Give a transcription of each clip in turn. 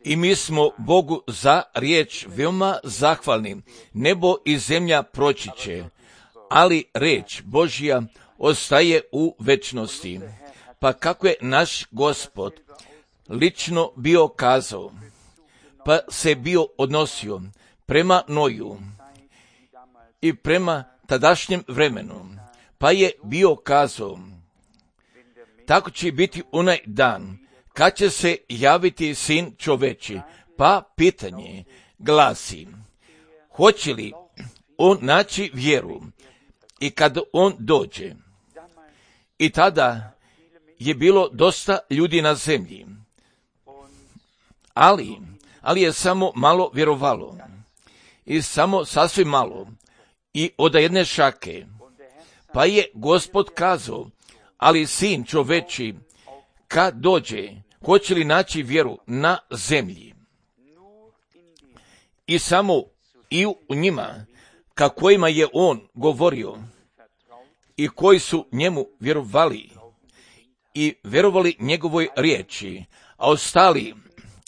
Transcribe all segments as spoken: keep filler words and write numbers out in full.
I mi smo Bogu za riječ veoma zahvalni. Nebo i zemlja proći će, ali riječ Božja ostaje u večnosti. Pa kako je naš Gospod lično bio kazao, pa se bio odnosio prema Noju i prema tadašnjem vremenu, pa je bio kazao, tako će biti onaj dan kad će se javiti Sin čoveči. Pa pitanje glasi, hoće li on naći vjeru i kad on dođe? I tada je bilo dosta ljudi na zemlji, ali, ali je samo malo vjerovalo i samo sasvim malo i od jedne šake. Pa je Gospod kazao, ali Sin čoveči kad dođe, hoće li naći vjeru na zemlji? I samo i u njima, ka kojima je on govorio i koji su njemu vjerovali i vjerovali njegovoj riječi, a ostali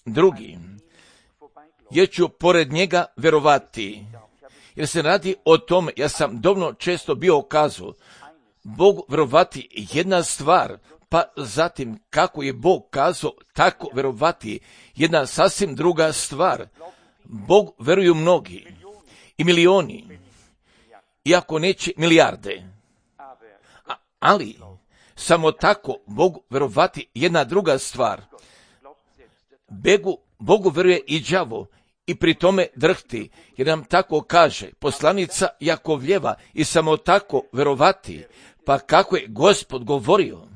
drugi, jer ću pored njega vjerovati. Jer se radi o tome, ja sam dovoljno često bio kazao, Bogu vjerovati jedna stvar, pa zatim kako je Bog kazao, tako vjerovati jedna sasvim druga stvar. Bog vjeruju mnogi i milioni, iako neće milijarde, A, ali samo tako Bogu vjerovati jedna druga stvar. Begu, Bogu vjeruje i đavo i pri tome drhti, jer nam tako kaže poslanica Jakovljeva, i samo tako vjerovati. Pa kako je Gospod govorio,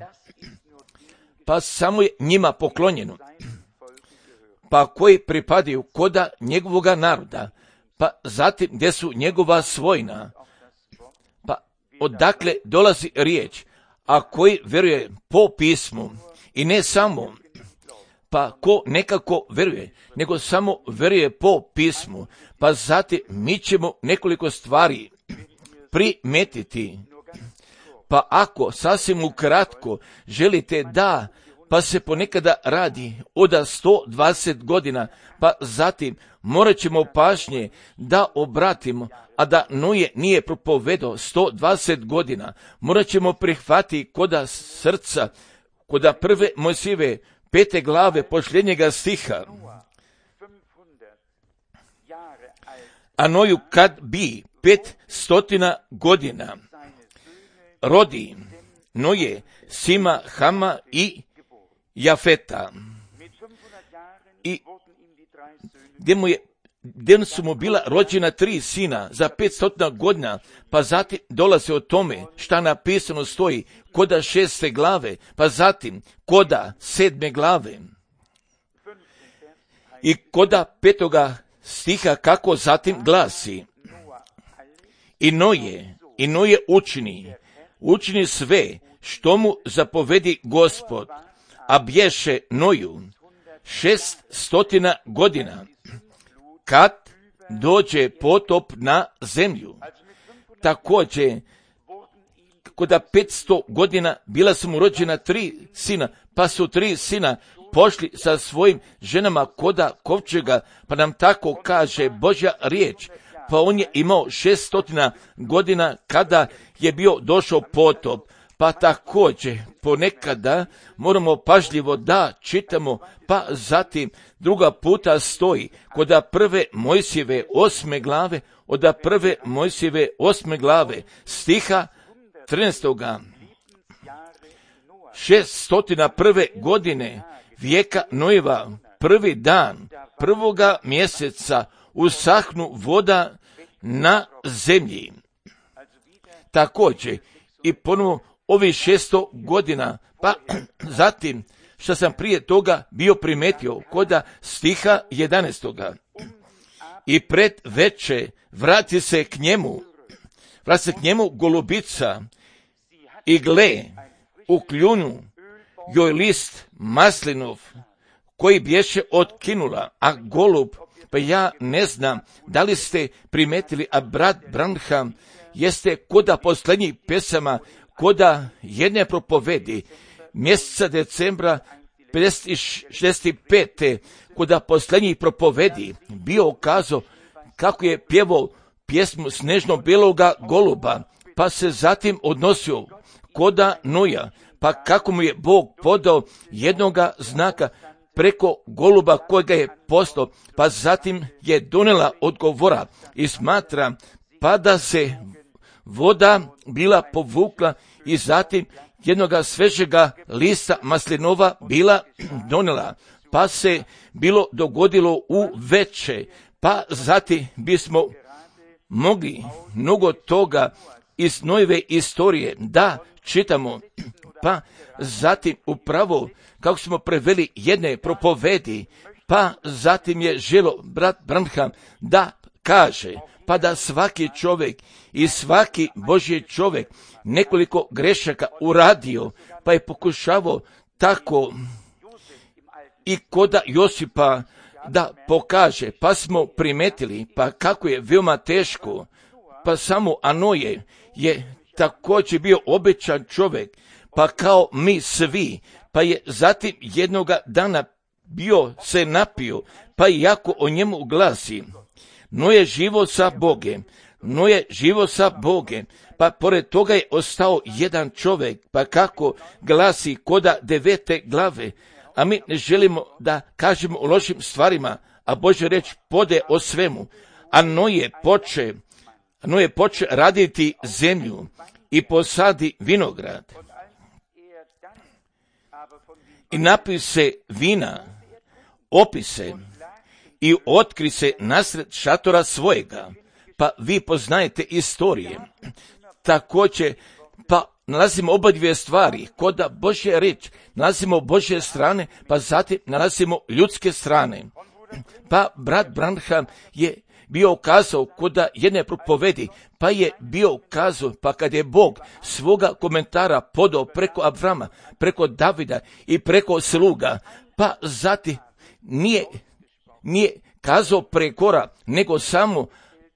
pa samo je njima poklonjeno, pa koji pripadaju koda njegovoga naroda, pa zatim gdje su njegova svojina, pa odakle dolazi riječ, a koji vjeruje po pismu i ne samo, pa ko nekako vjeruje, nego samo vjeruje po pismu, pa zatim mi ćemo nekoliko stvari primetiti. Pa ako sasvim ukratko želite da, pa se ponekada radi od sto dvadeset godina, pa zatim morat ćemo pažnje da obratimo, a da Noje nije propovedao sto dvadeset godina, morat ćemo prihvatiti koda srca, koda prve Mojsijeve pete glave posljednjega stiha. A Noju kad bi pet stotina godina rodi Noje, Sima, Hama i Jafeta. I gdje, mu je, gdje su mu bila rođena tri sina za petsto godina, pa zatim dolaze o tome šta napisano stoji koda šeste glave, pa zatim koda sedme glave i koda petoga stiha kako zatim glasi. I Noje, i Noje učini, učini sve što mu zapovedi Gospod, a bješe Noju šest stotina godina, kad dođe potop na zemlju. Također, koda petsto godina bila su mu rođena tri sina, pa su tri sina pošli sa svojim ženama koda kovčega, pa nam tako kaže Božja riječ. Pa on je imao šeststotina godina kada je bio došao potop. Pa također ponekada moramo pažljivo da čitamo, pa zatim druga puta stoji koda prve Mojsijeve osme glave, oda prve Mojsijeve osme glave stiha trinaestoga. šeststotina prve godine vijeka Nojeva, prvi dan prvoga mjeseca usahnu voda na zemlji. Također i ponovo ovih šesto godina, pa zatim što sam prije toga bio primetio koda stiha jedanaestoga. I pred veče vrati se k njemu, vrati se k njemu golubica i gle, u kljunu joj list maslinov koji bješe otkinula, a golub, pa ja ne znam da li ste primetili, a brat Branham jeste koda posljednjih pesama, koda jedne propovedi mjeseca decembra pedeset šezdeset pete kuda posljednjih propovedi bio kazao kako je pjevao pjesmu Snežno beloga goluba, pa se zatim odnosio koda Noja, pa kako mu je Bog podao jednoga znaka preko goluba kojega je poslao, pa zatim je donela odgovora i smatra pa da se voda bila povukla i zatim jednoga svežega lista maslinova bila donela, pa se bilo dogodilo u veče, pa zatim bismo mogli mnogo toga iz Nojeve istorije da čitamo, pa zatim upravo kako smo preveli jedne propovedi, pa zatim je želo brat Branham da kaže, pa da svaki čovjek i svaki Božji čovjek nekoliko grešaka uradio, pa je pokušavao tako i koda Josipa da pokaže, pa smo primetili, pa kako je veoma teško, pa samo Anoje je također bio obećan čovjek, pa kao mi svi, pa je zatim jednoga dana bio se napio, pa jako o njemu glasi, no je živo sa Bogem, no je živo sa Bogem, pa pored toga je ostao jedan čovjek, pa kako glasi koda devete glave, a mi ne želimo da kažemo o lošim stvarima, a Božja reč pode o svemu, a Noje poče, Noje poče raditi zemlju i posadi vinograd. I napije se vina, opise i otkri se nasred šatora svojega, pa vi poznajete istorije. Također, pa nalazimo oba dvije stvari, koda Božja riječ, nalazimo Božje strane, pa zatim nalazimo ljudske strane. Pa brat Branham je bio kazao koda jedne propovedi, pa je bio kazao, pa kad je Bog svoga komentara podao preko Avrama, preko Davida i preko sluga, pa zatim nije, nije kazao prekora, nego samo,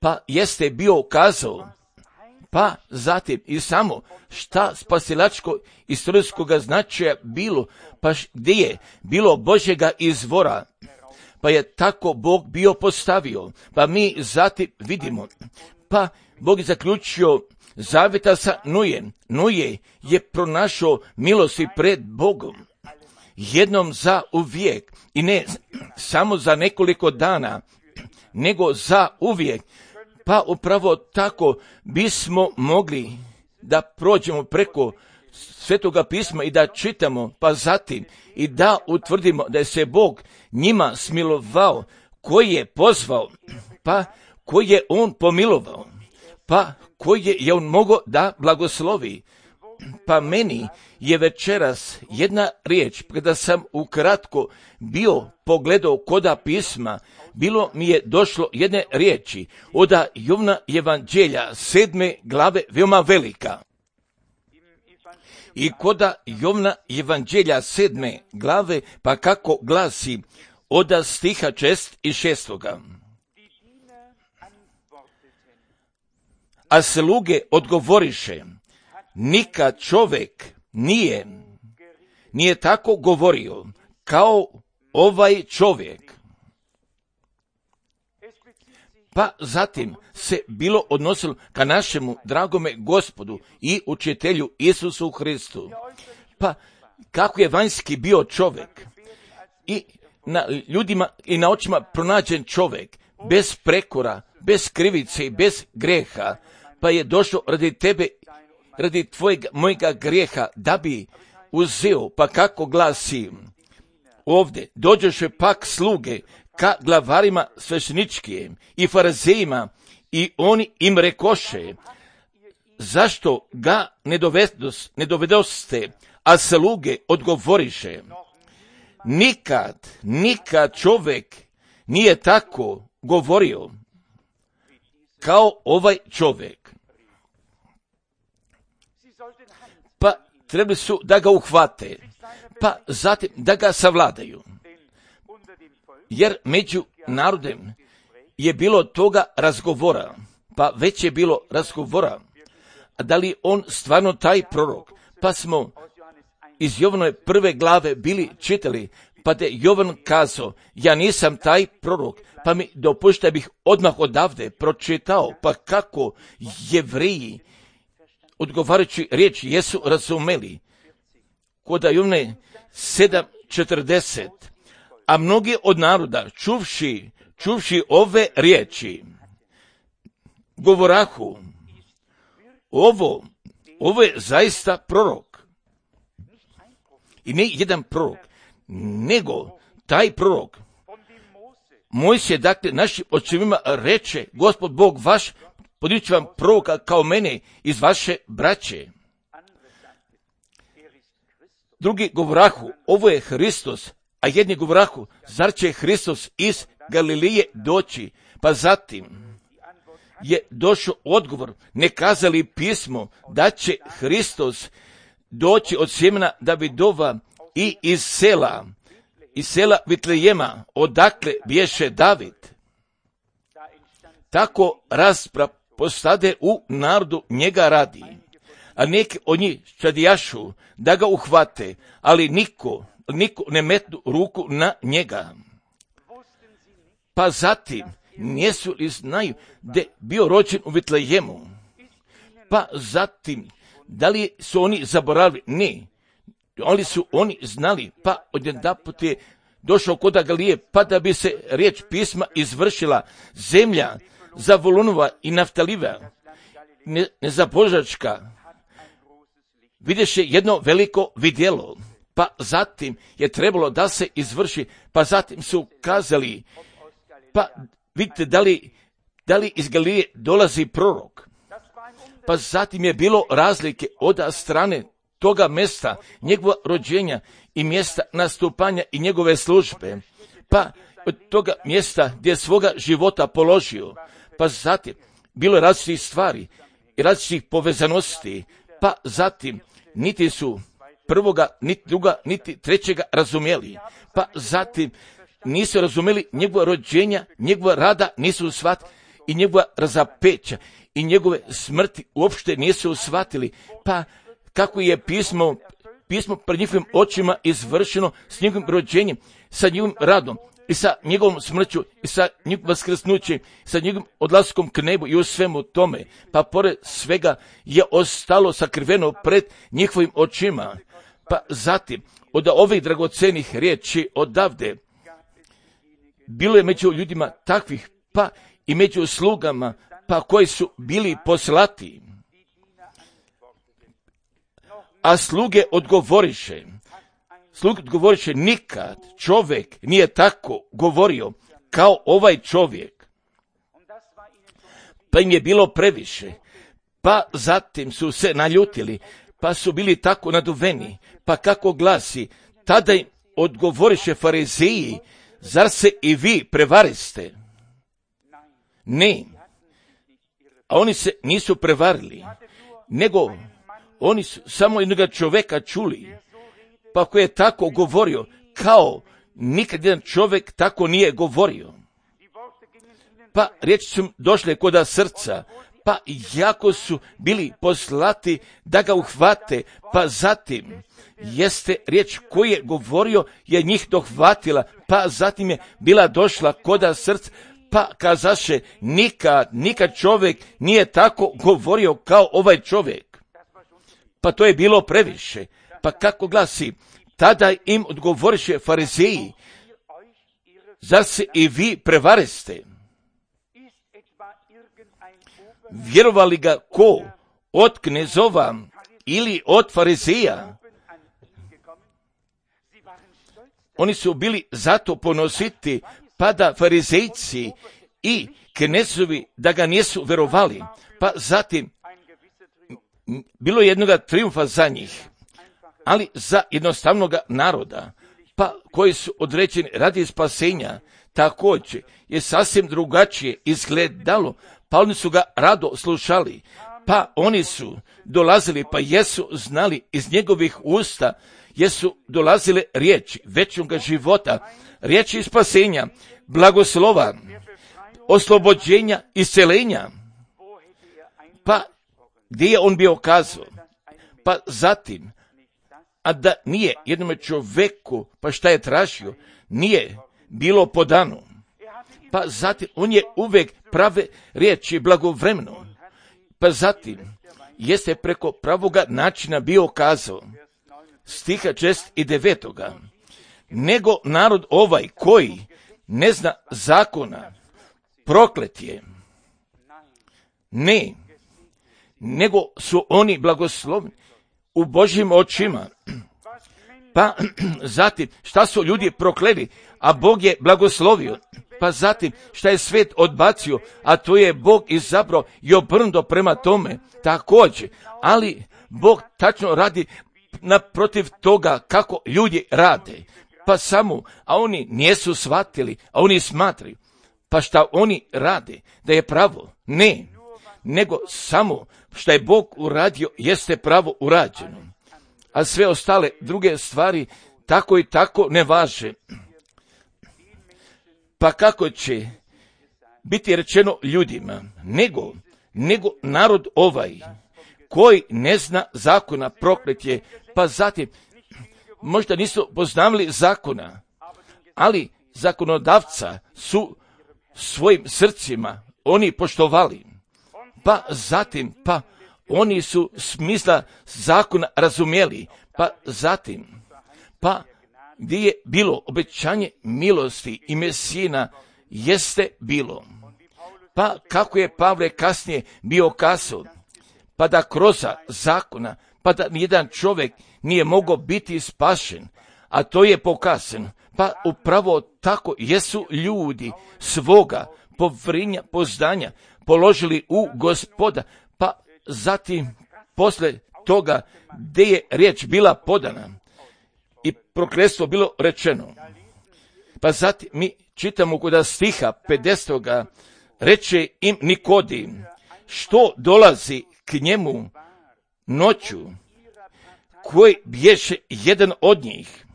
pa jeste bio kazao, pa zatim i samo šta spasilačko istorijskoga značaja bilo, pa gdje je bilo Božjega izvora, pa je tako Bog bio postavio, pa mi zatim vidimo, pa Bog je zaključio zavjeta sa Nojem. Noje je pronašao milosti pred Bogom, jednom za uvijek, i ne samo za nekoliko dana, nego za uvijek. Pa upravo tako bismo mogli da prođemo preko Svetoga pisma i da čitamo, pa zatim i da utvrdimo da je se Bog njima smilovao, koji je pozvao, pa koji je on pomilovao, pa koji je on mogao da blagoslovi. Pa meni je večeras jedna riječ, kada sam ukratko bio pogledao koda pisma, bilo mi je došlo jedne riječi od Jovna evanđelja sedme glave, veoma velika. I koda Jovna evanđelja sedme glave, pa kako glasi od stiha šest i šestoga. A sluge odgovoriše, nikad čovjek nije, nije tako govorio kao ovaj čovjek. Pa zatim se bilo odnosilo ka našemu dragome Gospodu i učitelju Isusu Hristu. Pa kako je vanjski bio čovjek i na ljudima i na očima pronađen čovjek, bez prekora, bez krivice i bez greha, pa je došao radi tebe, radi tvojega, mojega grijeha, da bi uzeo, pa kako glasi ovdje, dođeše pak sluge ka glavarima svešteničkim i farizejima i oni im rekoše, zašto ga ne, dovedos, ne dovedoste, a sluge odgovoriše, nikad, nikad čovjek nije tako govorio kao ovaj čovjek. Pa trebali su da ga uhvate, pa zatim da ga savladaju. Jer među narodem je bilo toga razgovora, pa već je bilo razgovora, da li on stvarno taj prorok, pa smo iz Jovanove prve glave bili čitali, pa da je Jovan kazao, ja nisam taj prorok, pa mi dopušta bih odmah odavde pročitao, pa kako Jevreji odgovarajući riječ jesu razumeli. Kod Jovane sedam četrdeset, a mnogi od naroda čuvši, čuvši ove riječi, govorahu, ovo, ovo je zaista prorok. I ne jedan prorok, nego taj prorok. Mojsije, dakle, našim očevima reče, Gospod Bog vaš, podići ću vam proroka kao mene iz vaše braće. Drugi govorahu, ovo je Hristos, a jedni govorahu, zar će Hristos iz Galilije doći? Pa zatim je došao odgovor, ne kazali pismo da će Hristos doći od sjemena Davidova i iz sela, iz sela Vitlejema, odakle bješe David. Tako rasprava postade u narodu njega radi, a neki od njih čadijašu da ga uhvate, ali niko, niko ne metnu ruku na njega. Pa zatim, nijesu li znaju da je bio rođen u Vitlejemu? Pa zatim, da li su oni zaboravili? Ne. Oni su oni znali, pa odjedanput je došao kod Galilije, pa da bi se riječ pisma izvršila, zemlja Zavulunova i Naftaliva, ne, nezabožačka, vidješe jedno veliko vidjelo, pa zatim je trebalo da se izvrši, pa zatim su kazali, pa vidite da li, da li iz Galilije dolazi prorok. Pa zatim je bilo razlike od strane toga mjesta, njegova rođenja i mjesta nastupanja i njegove službe, pa od toga mjesta gdje je svoga života položio, pa zatim bilo je različitih stvari i različitih povezanosti, pa zatim niti su prvoga, niti druga, niti trećega razumjeli, pa zatim nisu razumjeli njegova rođenja, njegova rada nisu shvatili i njegova razapeća i njegove smrti uopšte nisu shvatili, pa kako je pismo, pismo pred njihovim očima izvršeno s njegovim rođenjem, sa njegovim radom i sa njegovom smrću i sa njegovim vaskrsnućem, sa njegovim odlaskom k nebu i u svemu tome, pa pored svega je ostalo sakriveno pred njihovim očima. Pa zatim, od ovih dragocenih riječi odavde, bilo je među ljudima takvih, pa i među slugama, pa koji su bili poslati. A sluge odgovoriše, sluge odgovoriše, nikad čovjek nije tako govorio kao ovaj čovjek. Pa im je bilo previše, pa zatim su se naljutili, pa su bili tako naduveni, pa kako glasi, tada im odgovoriše farizeji, zar se i vi prevariste? Ne, a oni se nisu prevarili, nego oni su samo jednog čovjeka čuli, pa koji je tako govorio, kao nikad jedan čovjek tako nije govorio. Pa riječi su došle koda srca, pa jako su bili poslati da ga uhvate, pa zatim jeste riječ koju je govorio je njih dohvatila, pa zatim je bila došla koda srca, pa kazaše, nikad, nikad čovjek nije tako govorio kao ovaj čovjek. Pa to je bilo previše. Pa kako glasi, tada im odgovoriše farizeji, zar se i vi prevariste? Vjerovali ga ko? Od knezova ili od farizeja? Oni su bili zato ponositi, pa da farizejci i knezovi da ga nisu verovali, pa zatim bilo je jednoga triumfa za njih, ali za jednostavnog naroda, pa koji su određeni radi spasenja, također je sasvim drugačije izgledalo, pa oni su ga rado slušali, pa oni su dolazili, pa jesu znali iz njegovih usta, jesu dolazile riječi večnoga života, riječi spasenja, blagoslova, oslobođenja, iscelenja. Pa gdje je on bio kazao? Pa zatim, a da nije jednome čovjeku, pa šta je tražio, nije bilo podano. Pa zatim on je uvijek prave riječi blagovremeno. Pa zatim jeste preko pravoga načina bio kazao, stiha šest i devetoga, nego narod ovaj koji ne zna zakona, proklet je. Ne, nego su oni blagoslovni u Božjim očima. Pa zatim, šta su ljudi prokleli, a Bog je blagoslovio. Pa zatim, šta je svet odbacio, a to je Bog izabrao i obrnuto prema tome, također. Ali Bog tačno radi naprotiv toga kako ljudi rade. Pa samo, a oni nisu shvatili, a oni smatraju. Pa šta oni rade, da je pravo? Ne, nego samo šta je Bog uradio, jeste pravo urađeno. A sve ostale druge stvari tako i tako ne važe. Pa kako će biti rečeno ljudima, nego, nego narod ovaj, koji ne zna zakona, proklet je, pa zatim, možda nisu poznavali zakona, ali zakonodavca su svojim srcima oni poštovali. Pa zatim, pa oni su smisla zakona razumjeli, pa zatim, pa gdje je bilo obećanje milosti i Mesijina, jeste bilo. Pa kako je Pavle kasnije bio kazao, pa da kroz zakona, pa da nijedan čovjek nije mogao biti spašen, a to je pokazano. Pa upravo tako jesu ljudi svoga povrinja, poznanja položili u Gospoda, pa zatim posle toga gdje je riječ bila podana i prokletstvo bilo rečeno. Pa zatim mi čitamo kod stiha pedesetoga, reče im Nikodim, što dolazi k njemu noću, koji bješe jedan od njih.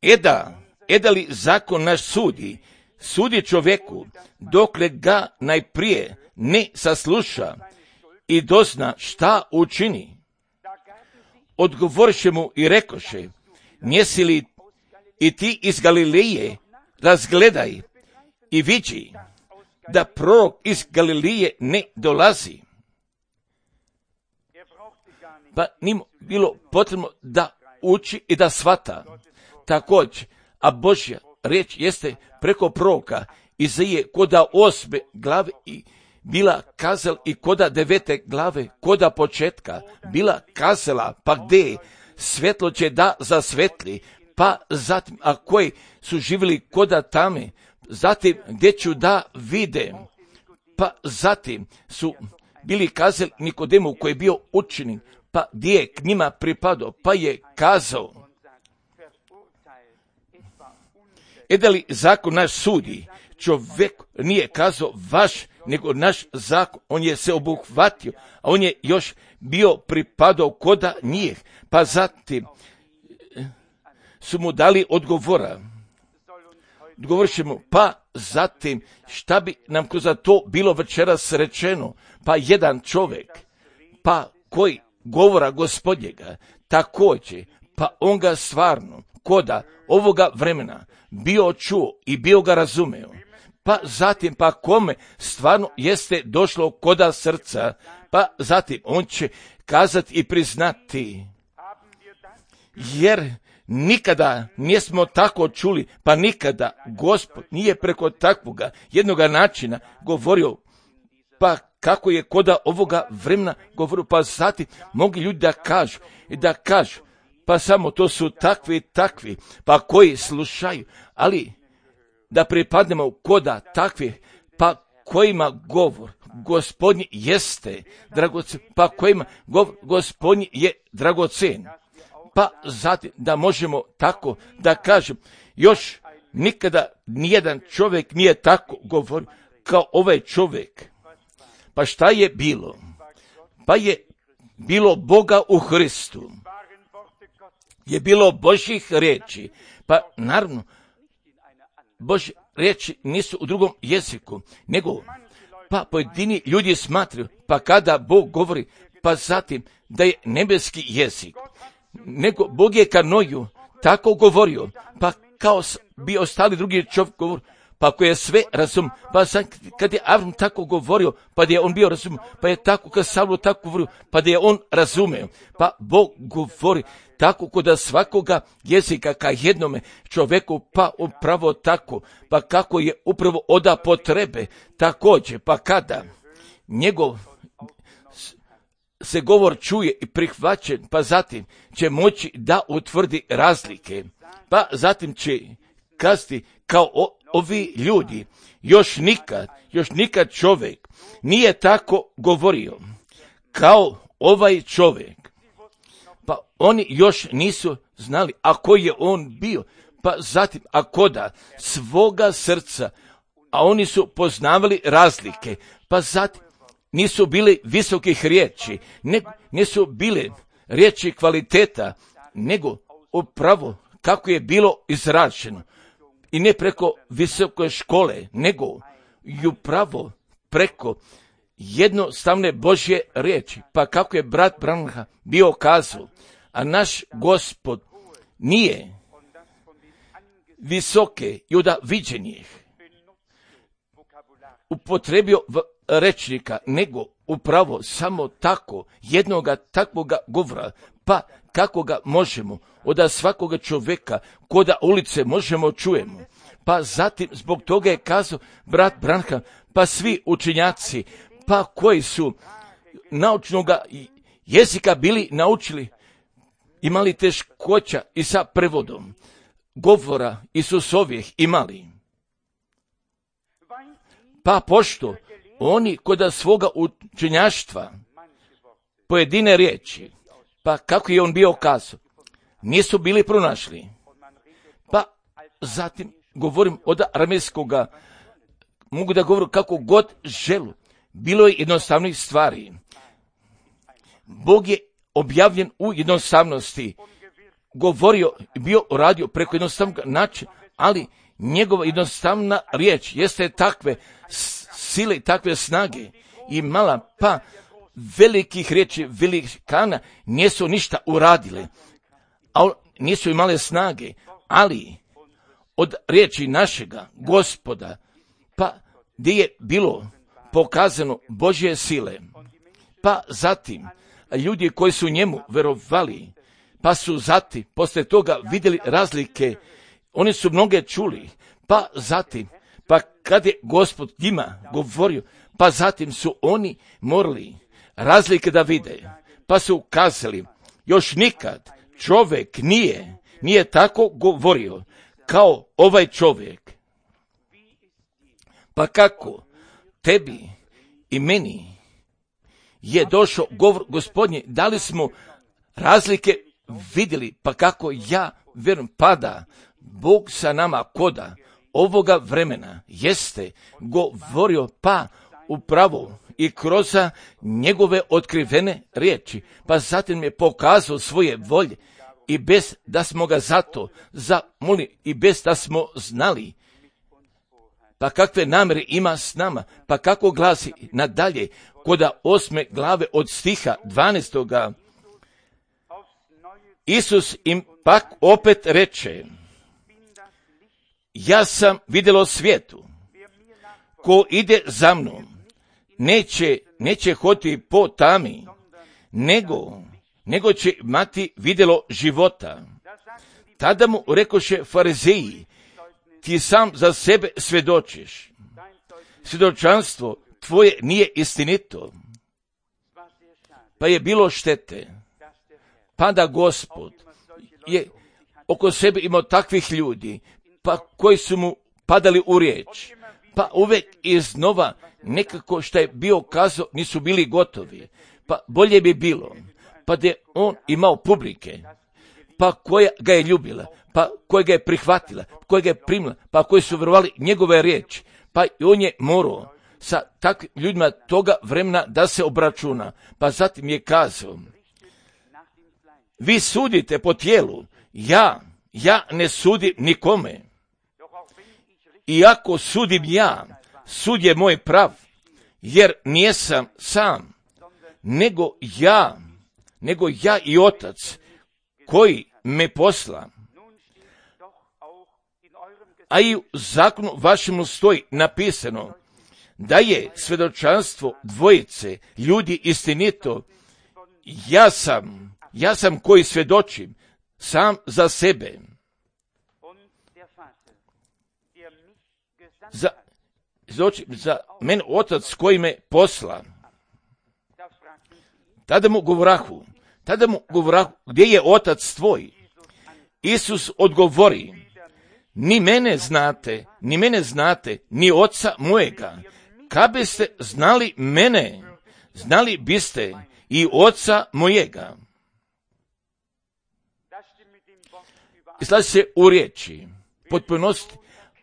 Eda, eda li zakon naš sudi, sudi čovjeku, dokle ga najprije ne sasluša i dozna šta učini. Odgovoriše mu i rekoše, njesi li i ti iz Galileje, razgledaj i vidi da prorok iz Galileje ne dolazi. Pa njim bilo potrebno da uči i da shvata. Također, a Božja riječ jeste preko proroka Izaije koda osme glave i bila kazala i koda devete glave, koda početka, bila kazala, pa gdje svetlo će da zasvetli, pa zatim, a koji su živjeli koda tame, zatim gdje ću da vide, pa zatim su bili kazali Nikodemu koji je bio učenik, pa gdje je k njima pripadao, pa je kazao, e da li zakon naš sudi, čovjek nije kazao vaš, nego naš zakon, on je se obuhvatio, a on je još bio pripadao koda njih, pa zatim su mu dali odgovora. Odgovorit mu, pa zatim šta bi nam kroz to bilo večeras rečeno, pa jedan čovjek, pa koji govora Gospodnjega, također, pa on ga stvarno, koda ovoga vremena, bio čuo i bio ga razumeo, pa zatim pa kome stvarno jeste došlo koda srca, pa zatim on će kazati i priznati, jer nikada nismo tako čuli, pa nikada Gospod nije preko takvoga jednoga načina govorio, pa kako je koda ovoga vremena govorio, pa zatim mogu ljudi da kažu i da kažu, pa samo to su takvi takvi, pa koji slušaju, ali da pripadnemo koda takvi, pa kojima govor Gospodnji jeste dragocen, pa kojima govor Gospodnji je dragocen, pa zatim da možemo tako da kažem, još nikada nijedan čovjek nije tako govorio kao ovaj čovjek. Pa šta je bilo? Pa je bilo Boga u Hristu, je bilo Božjih riječi, pa naravno Božje riječi nisu u drugom jeziku, nego pa pojedini ljudi smatraju, pa kada Bog govori, pa zatim da je nebeski jezik, nego Bog je ka Noju tako govorio, pa kao bi ostali drugi čovjek govor, pa ako je sve razum, pa sad kad je Avram tako govorio, pa da je on bio razum, pa je tako kad Savlo tako govorio, pa da je on razumeo, pa Bog govori tako kod svakoga jezika ka jednome čovjeku, pa upravo tako, pa kako je upravo oda potrebe, također, pa kada njegov se govor čuje i prihvaćen, pa zatim će moći da utvrdi razlike, pa zatim će kazati kao o, ovi ljudi, još nikad, još nikad čovjek nije tako govorio kao ovaj čovjek. Pa oni još nisu znali, a koji je on bio, pa zatim, ako da, svoga srca, a oni su poznavali razlike, pa zatim nisu bili visokih riječi, ne, nisu bile riječi kvaliteta, nego upravo kako je bilo izraženo. I ne preko visoke škole, nego i upravo preko jednostavne Božje riječi. Pa kako je brat Branham bio kazao, a naš Gospod nije visoke i od viđenih upotrebio rečnika, nego upravo samo tako, jednoga takvoga govora, pa kako ga možemo od svakoga čovjeka koda ulice možemo čujemo. Pa zatim zbog toga je kazao brat Branham, pa svi učenjaci, pa koji su naučnoga jezika bili naučili, imali teškoća i sa prevodom govora Isusovih imali. Pa pošto oni kod svoga učenjaštva pojedine riječi, pa kako je on bio kazao, nisu bili pronašli. Pa zatim govorim od aramejskoga, mogu da govorim kako god želu. Bilo je jednostavnih stvari. Bog je objavljen u jednostavnosti, govorio, bio radio preko jednostavnog načina, ali njegova jednostavna riječ jeste takve sile, takve snage i mala, pa velikih riječi, velikana nisu ništa uradile, a nisu imale snage, ali od riječi našega Gospoda, pa gdje je bilo pokazano Božje sile, pa zatim ljudi koji su njemu verovali, pa su zatim posle toga vidjeli razlike, oni su mnoge čuli, pa zatim, pa kad je Gospod njima govorio, pa zatim su oni morali razlike da vide, pa su kazali, još nikad čovjek nije, nije tako govorio kao ovaj čovjek. Pa kako tebi i meni je došao govor Gospodnji, da li smo razlike vidjeli, pa kako ja vjerujem pada Bog sa nama koda ovoga vremena jeste govorio, pa upravo i kroz njegove otkrivene riječi, pa zatim je pokazao svoje volje i bez da smo ga zato zamolili i bez da smo znali, pa kakve namjere ima s nama, pa kako glasi nadalje koda osme glave od stiha dvanaestoga. Isus im pak opet reče, ja sam vidjelo svijetu, ko ide za mnom, neće, neće hoditi po tami, nego, nego će imati vidjelo života. Tada mu rekoše farizeji, ti sam za sebe svjedočiš, svjedočanstvo tvoje nije istinito. Pa je bilo štete, pa da Gospod je oko sebe imao takvih ljudi, pa koji su mu padali u riječ, pa uvijek iznova nekako što je bio kazao nisu bili gotovi, pa bolje bi bilo, pa da je on imao publike, pa koja ga je ljubila, pa koja ga je prihvatila, koja ga je primila, pa koji su vjerovali njegove riječi, pa i on je morao sa takvim ljudima toga vremena da se obračuna, pa zatim je kazao, vi sudite po tijelu, ja, ja ne sudim nikome. Iako sudim ja, sud je moj prav, jer nijesam sam, nego ja nego ja i Otac koji me posla. A i u zakonu vašemu stoji napisano da je svjedočanstvo dvojice ljudi istinito. Ja sam, ja sam koji svjedočim sam za sebe. Za, za mene Otac koji me posla. Tada mu govorahu, tada mu govorahu, gdje je Otac tvoj? Isus odgovori, ni mene znate, ni mene znate, ni Oca mojega. Kad biste znali mene, znali biste i Oca mojega. I slaži se u riječi, potpunosti,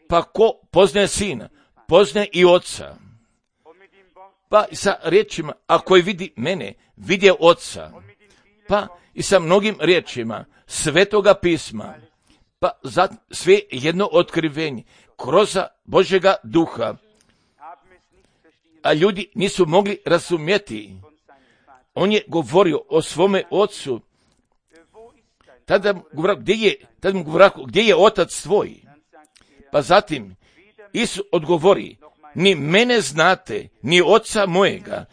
pa ko poznaje Sina, poznaje i Oca. Pa i sa riječima, ako je vidi mene, vidje Oca. Pa i sa mnogim riječima Svetoga pisma, pa za sve jedno otkrivenje kroz Božjega duha. A ljudi nisu mogli razumjeti. On je govorio o svome Ocu. Tada mu govorio, gdje je, tada mu govorio, gdje je Otac tvoj? Pa zatim Isus odgovori, ni mene znate, ni Oca mojega.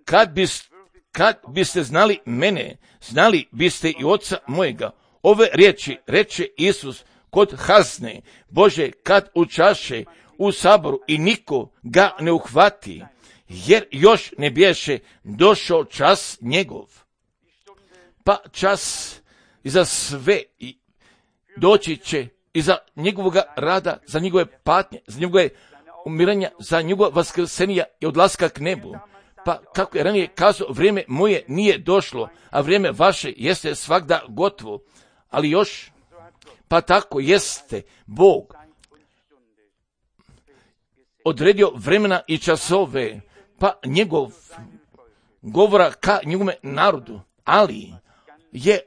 Kad, bis, kad biste znali mene, znali biste i Oca mojega. Ove riječi reče Isus kod Hazne Bože kad učaše u saboru i niko ga ne uhvati, jer još ne biješe došao čas njegov. Pa čas i za sve doći će i za njegovog rada, za njegove patnje, za njegove umiranja, za njegova vaskrsenja i odlaska k nebu. Pa kako je ranije kazao, vrijeme moje nije došlo, a vrijeme vaše jeste svagda gotovo. Ali još, pa tako jeste Bog odredio vremena i časove, pa njegov govora ka njegovome narodu, ali je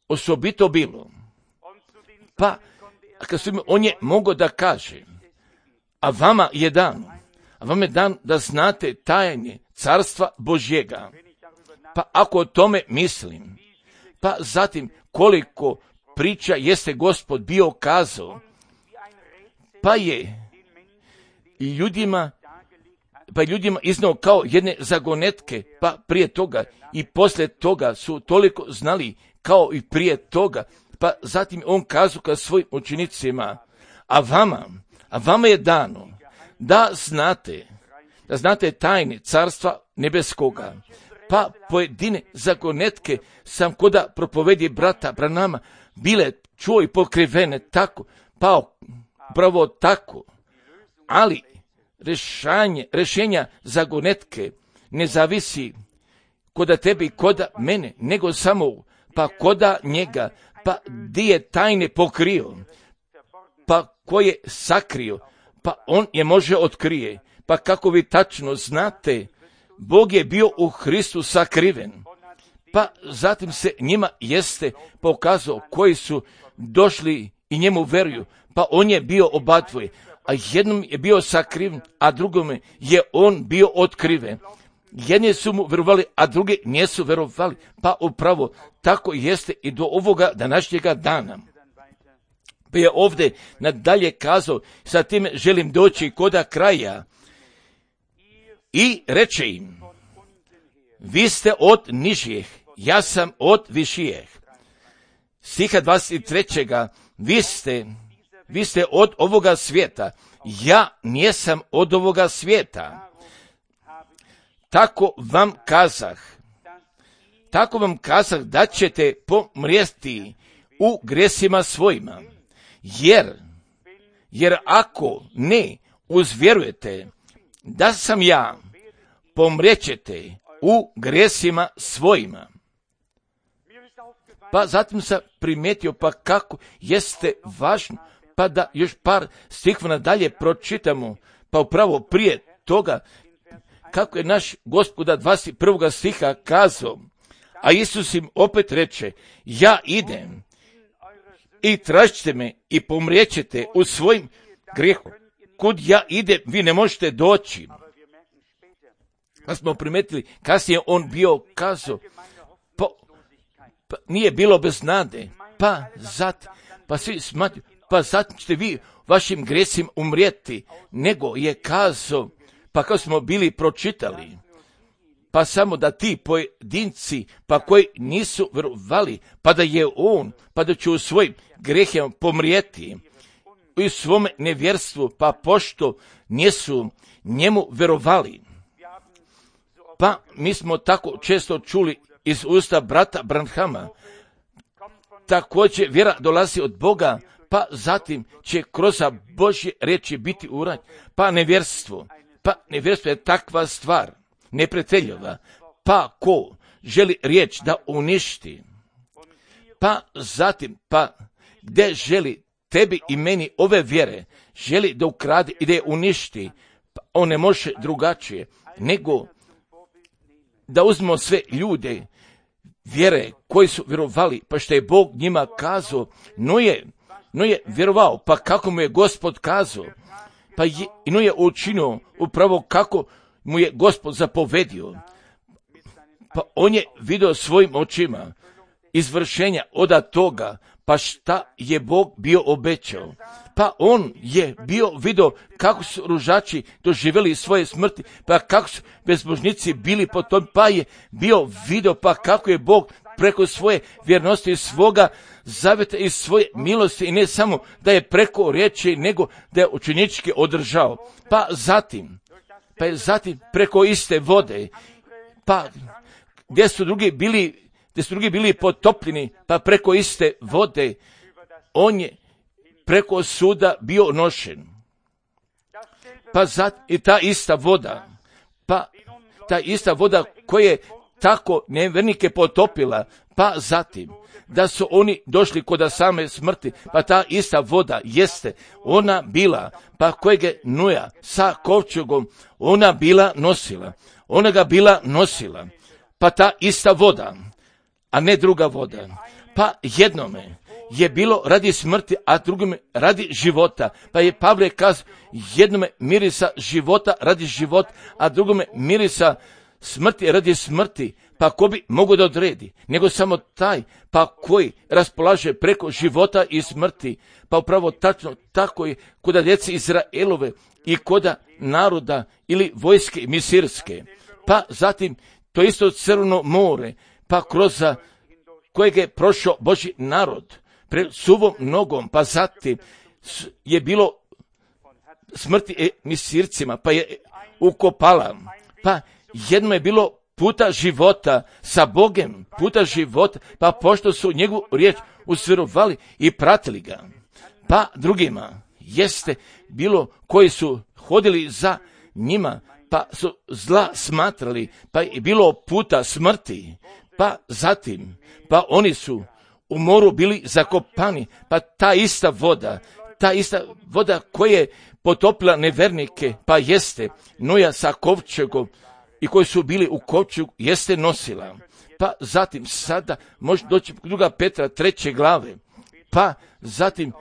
osobito bilo. Pa, kad su, on je mogao da kaže, a vama je dan, a vama je dan da znate tajne carstva Božjega. Pa ako o tome mislim, pa zatim koliko priča jeste Gospod bio kazao, pa je ljudima, pa ljudima iznao kao jedne zagonetke, pa prije toga i poslije toga su toliko znali kao i prije toga, pa zatim on kazao ka svojim učenicima, a vama, a vama je dano da znate, da znate tajne carstva nebeskoga. Pa pojedine zagonetke sam koda propovedi brata Branama bile čuo i pokrivene tako, pa pravo tako, ali rešanje, rešenja zagonetke ne zavisi koda tebi i koda mene, nego samo pa koda njega, pa di je tajne pokrio, pa ko je sakrio, pa on je može otkrije, pa kako vi tačno znate, Bog je bio u Hristu sakriven, pa zatim se njima jeste pokazao koji su došli i njemu veruju, pa on je bio obadvoje, a jednom je bio sakriven, a drugome je on bio otkriven. Jedni su mu verovali, a drugi nisu verovali, pa upravo tako jeste i do ovoga današnjega dana. Pa je ovdje nadalje kazao, sa time želim doći koda kraja, i reče im, vi ste od nižijeh, ja sam od višijeh. Stiha dvadeset tri. Vi ste, vi ste od ovoga svijeta, ja nisam od ovoga svijeta. Tako vam kazah, tako vam kazah da ćete pomrijeti u gresima svojima, jer, jer ako ne uzvjerujete da sam ja, pomrijećete u gresima svojima. Pa zatim sam primijetio pa kako jeste važno, pa da još par stihova dalje pročitamo, pa upravo prije toga, kako je naš Gospoda dvadeset prvog stiha kazao, a Isus im opet reče, ja idem i tražite me i pomrijećete u svojim grehom. Kud ja idem, vi ne možete doći. Pa smo primetili, kasnije on bio kazao, pa, pa nije bilo bez nade, pa zat, pa svi smatruju, pa zato ćete vi vašim gresima umrijeti, nego je kazao, pa kao smo bili pročitali, pa samo da ti pojedinci, pa koji nisu vjerovali, pa da je on, pa da će u svojim grehima pomrijeti, u svome nevjerstvu, pa pošto nisu njemu vjerovali. Pa mi smo tako često čuli iz usta brata Branhama, također vjera dolazi od Boga, pa zatim će kroz Božje riječi biti urađeno, pa nevjerstvo, pa nevjerstvo je takva stvar, neprijateljova, pa ko želi riječ da uništi, pa zatim, pa gdje želi tebi i meni ove vjere, želi da ukrade i da je uništi, pa on ne može drugačije, nego da uzmemo sve ljude vjere koji su vjerovali, pa što je Bog njima kazao, no je, no je vjerovao, pa kako mu je Gospod kazao, pa je, no je učinio upravo kako mu je Gospod zapovedio, pa on je vidio svojim očima izvršenja od toga, pa šta je Bog bio obećao. Pa on je bio vidio kako su ružači doživjeli svoje smrti, pa kako su bezbožnici bili po tom, pa je bio vidio pa kako je Bog preko svoje vjernosti i svoga zavjeta i svoje milosti, i ne samo da je preko riječi, nego da je učenički održao. Pa zatim, pa je zatim preko iste vode, pa gdje su drugi bili gdje su drugi bili potopljeni, pa preko iste vode, on je preko suda bio nošen. Pa zat, i ta ista voda, pa ta ista voda koja je tako nevjernike potopila, pa zatim, da su oni došli kod same smrti, pa ta ista voda jeste, ona bila, pa kojeg je Noja sa kovčegom, ona bila nosila, ona ga bila nosila, pa ta ista voda, a ne druga voda. Pa jednome je bilo radi smrti, a drugome radi života. Pa je Pavle kazao, jednome mirisa života radi života, a drugome mirisa smrti radi smrti. Pa ko bi mogo da odredi? Nego samo taj, pa koji raspolaže preko života i smrti. Pa upravo tačno tako je kod djece Izraelove i kod naroda ili vojske misirske. Pa zatim to isto Crveno more, pa kroz kojeg je prošao Božji narod pred suvom nogom, pa zatim je bilo smrti misircima, pa je ukopala, pa jedno je bilo puta života sa Bogem, puta života, pa pošto su njegovu riječ usvjerovali i pratili ga, pa drugima jeste bilo koji su hodili za njima, pa su zla smatrali, pa je bilo puta smrti, pa zatim, pa oni su u moru bili zakopani, pa ta ista voda, ta ista voda koja je potopila nevernike, pa jeste Noja sa kovčegom i koji su bili u kovčegu, jeste nosila. Pa zatim sada može doći druga Petra treće glave, pa zatim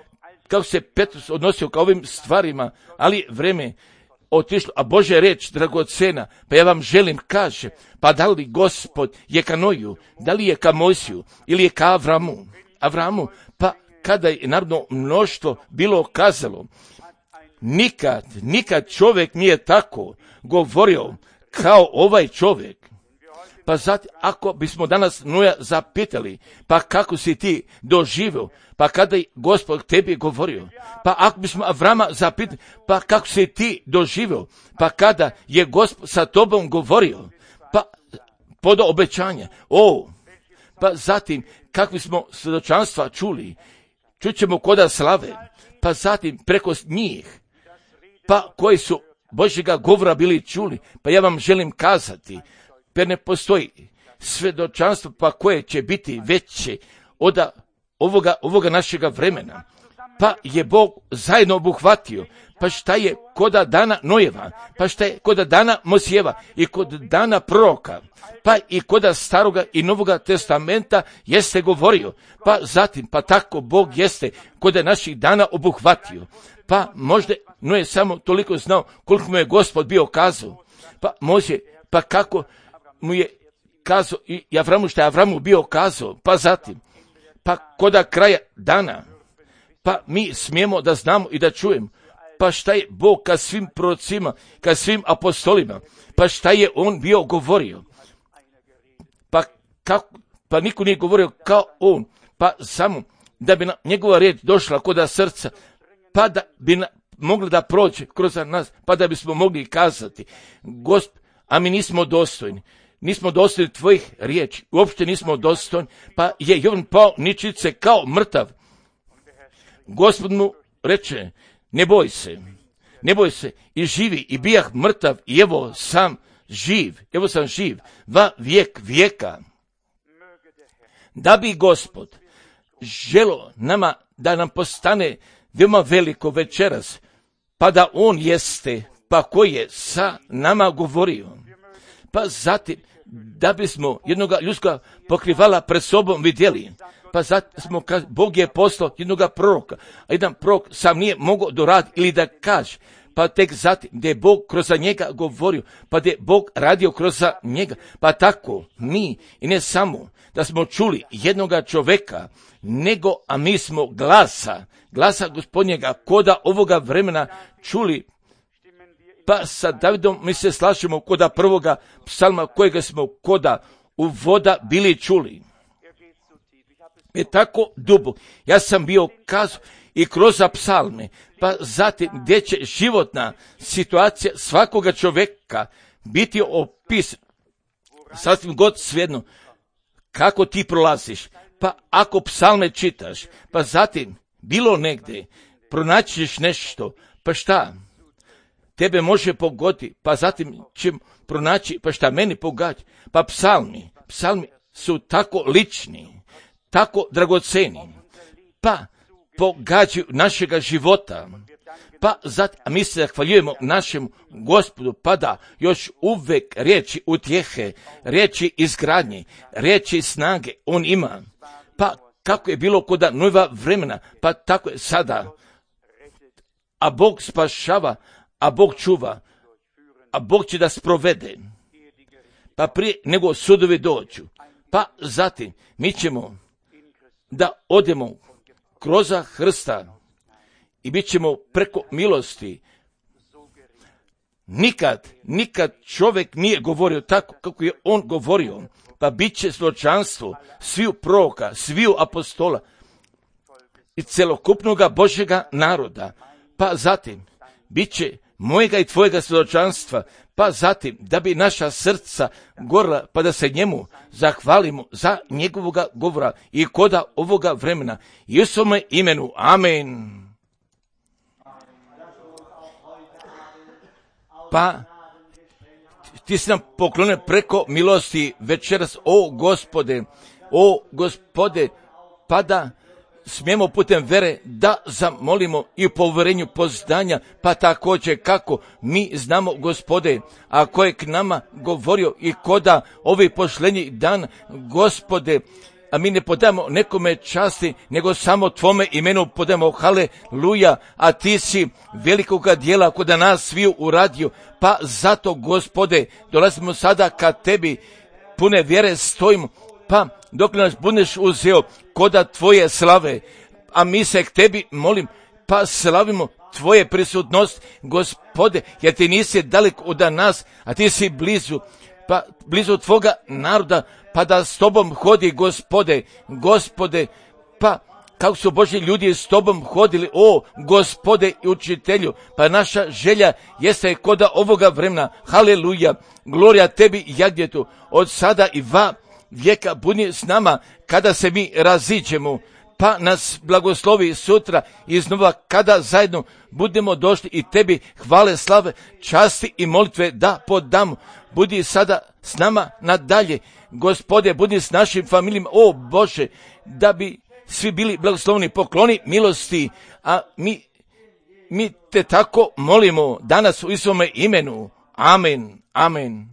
kako se Petrus odnosio ka ovim stvarima, ali vreme otišlo, a Božja reč dragocena, pa ja vam želim kaže, pa da li Gospod je ka Noju, da li je ka Mojsiju ili je ka Avramu, Avramu, pa kada je narodno mnoštvo bilo kazalo, nikad, nikad čovjek nije tako govorio kao ovaj čovjek. Pa zatim, ako bismo danas Noja zapitali, pa kako si ti doživio, pa kada je Gospod tebi govorio, pa ako bismo Avrama zapitali, pa kako si ti doživio, pa kada je Gospod sa tobom govorio, pa pod obećanja, o, pa zatim, kakvi smo svjedočanstva čuli, čućemo koda slave, pa zatim preko njih, pa koji su Božjega govora bili čuli, pa ja vam želim kazati, jer ne postoji svjedočanstvo pa koje će biti veće od ovoga, ovoga našega vremena. Pa je Bog zajedno obuhvatio, pa šta je koda dana Nojeva, pa šta je koda dana Mosijeva i kod dana proroka, pa i koda staroga i novoga testamenta jeste govorio, pa zatim, pa tako Bog jeste koda naših dana obuhvatio. Pa možda Noje samo toliko znao koliko mu je Gospod bio kazao, pa može pa kako mu je kazao i Avramu šta je Avramu bio kazao, pa zatim, pa koda kraja dana, pa mi smijemo da znamo i da čujemo, pa šta je Bog ka svim prorocima, ka svim apostolima, pa šta je on bio govorio, pa kako, pa niko nije govorio kao on, pa samo da bi na njegova riječ došla kod srca, pa da bi na, mogli da prođe kroz nas, pa da bismo mogli kazati, Gosp, a mi nismo dostojni, nismo dostojni tvojih riječi, uopšte nismo dostojni, pa je Jovan pao ničice kao mrtav. Gospod mu reče, ne boj se, ne boj se, i živi, i bijah mrtav, i evo sam živ, evo sam živ, va vijek vijeka. Da bi Gospod želo nama da nam postane veoma veliko večeras, pa da on jeste, pa koji je sa nama govorio, pa zatim da bismo jednoga ljudskoga pokrivala pred sobom vidjeli, pa zatim smo, Bog je poslao jednoga proroka, a jedan prorok sam nije mogao doraditi ili da kaže, pa tek zatim gdje je Bog kroz njega govorio, pa gdje je Bog radio kroz njega, pa tako mi i ne samo da smo čuli jednoga čoveka, nego a mi smo glasa, glasa Gospodnjega koda ovoga vremena čuli, pa sa Davidom mi se slažemo koda prvoga psalma kojega smo koda u voda bili čuli. Je tako dubo, ja sam bio kazao i kroz psalme, pa zatim gdje će životna situacija svakoga čoveka biti opisana, sasvim god svejedno kako ti prolaziš, pa ako psalme čitaš, pa zatim bilo negdje pronaćiš nešto, pa šta tebe može pogoditi, pa zatim će pronaći, pa šta meni pogađa, pa psalmi, psalmi su tako lični, tako dragoceni, pa pogađaju našega života, pa zatim, a mi se zahvaljujemo našem Gospodu, pa da još uvek riječi utjehe, riječi izgradnje, riječi snage on ima, pa kako je bilo kod nova vremena, pa tako je sada, a Bog spašava, a Bog čuva, a Bog će da sprovede, pa prije nego sudovi dođu, pa zatim mi ćemo da odemo kroz Hrsta i bit ćemo preko milosti. Nikad, nikad čovjek nije govorio tako kako je on govorio, pa bit će svjedočanstvo sviju proroka, sviju apostola i celokupnoga Božjega naroda, pa zatim bit će mojega i tvojega svjedočanstva, pa zatim da bi naša srca gorla, pa da se njemu zahvalimo za njegovoga govora i koda ovoga vremena. I u svome imenu, amen. Pa ti si nam poklonio preko milosti večeras, o Gospode, o Gospode, pa da smijemo putem vere da zamolimo i u povjerenju poznanja, pa također kako mi znamo, Gospode, a ko je k nama govorio i koda ovi posljednji dan, Gospode, a mi ne podamo nekome časti, nego samo tvome imenu podamo haleluja, a ti si velikoga dijela kod nas sviju uradio, pa zato, Gospode, dolazimo sada ka tebi, pune vjere stojimo, pa dok nas budeš uzeo koda tvoje slave, a mi se k tebi molim, pa slavimo tvoje prisutnost, Gospode, jer ti nisi daleko od nas, a ti si blizu, pa blizu tvoga naroda, pa da s tobom hodi, Gospode, Gospode, pa kako su Božji ljudi s tobom hodili, o Gospode i učitelju, pa naša želja jeste koda ovoga vremena, haleluja, glorija tebi jagnjetu, od sada i va vijeka budi s nama kada se mi raziđemo, pa nas blagoslovi sutra iznova kada zajedno budemo došli i tebi hvale, slave, časti i molitve da podamo. Budi sada s nama nadalje, Gospode, budi s našim familijama, o Bože, da bi svi bili blagoslovni, pokloni milosti, a mi, mi te tako molimo danas u svome imenu. Amen, amen.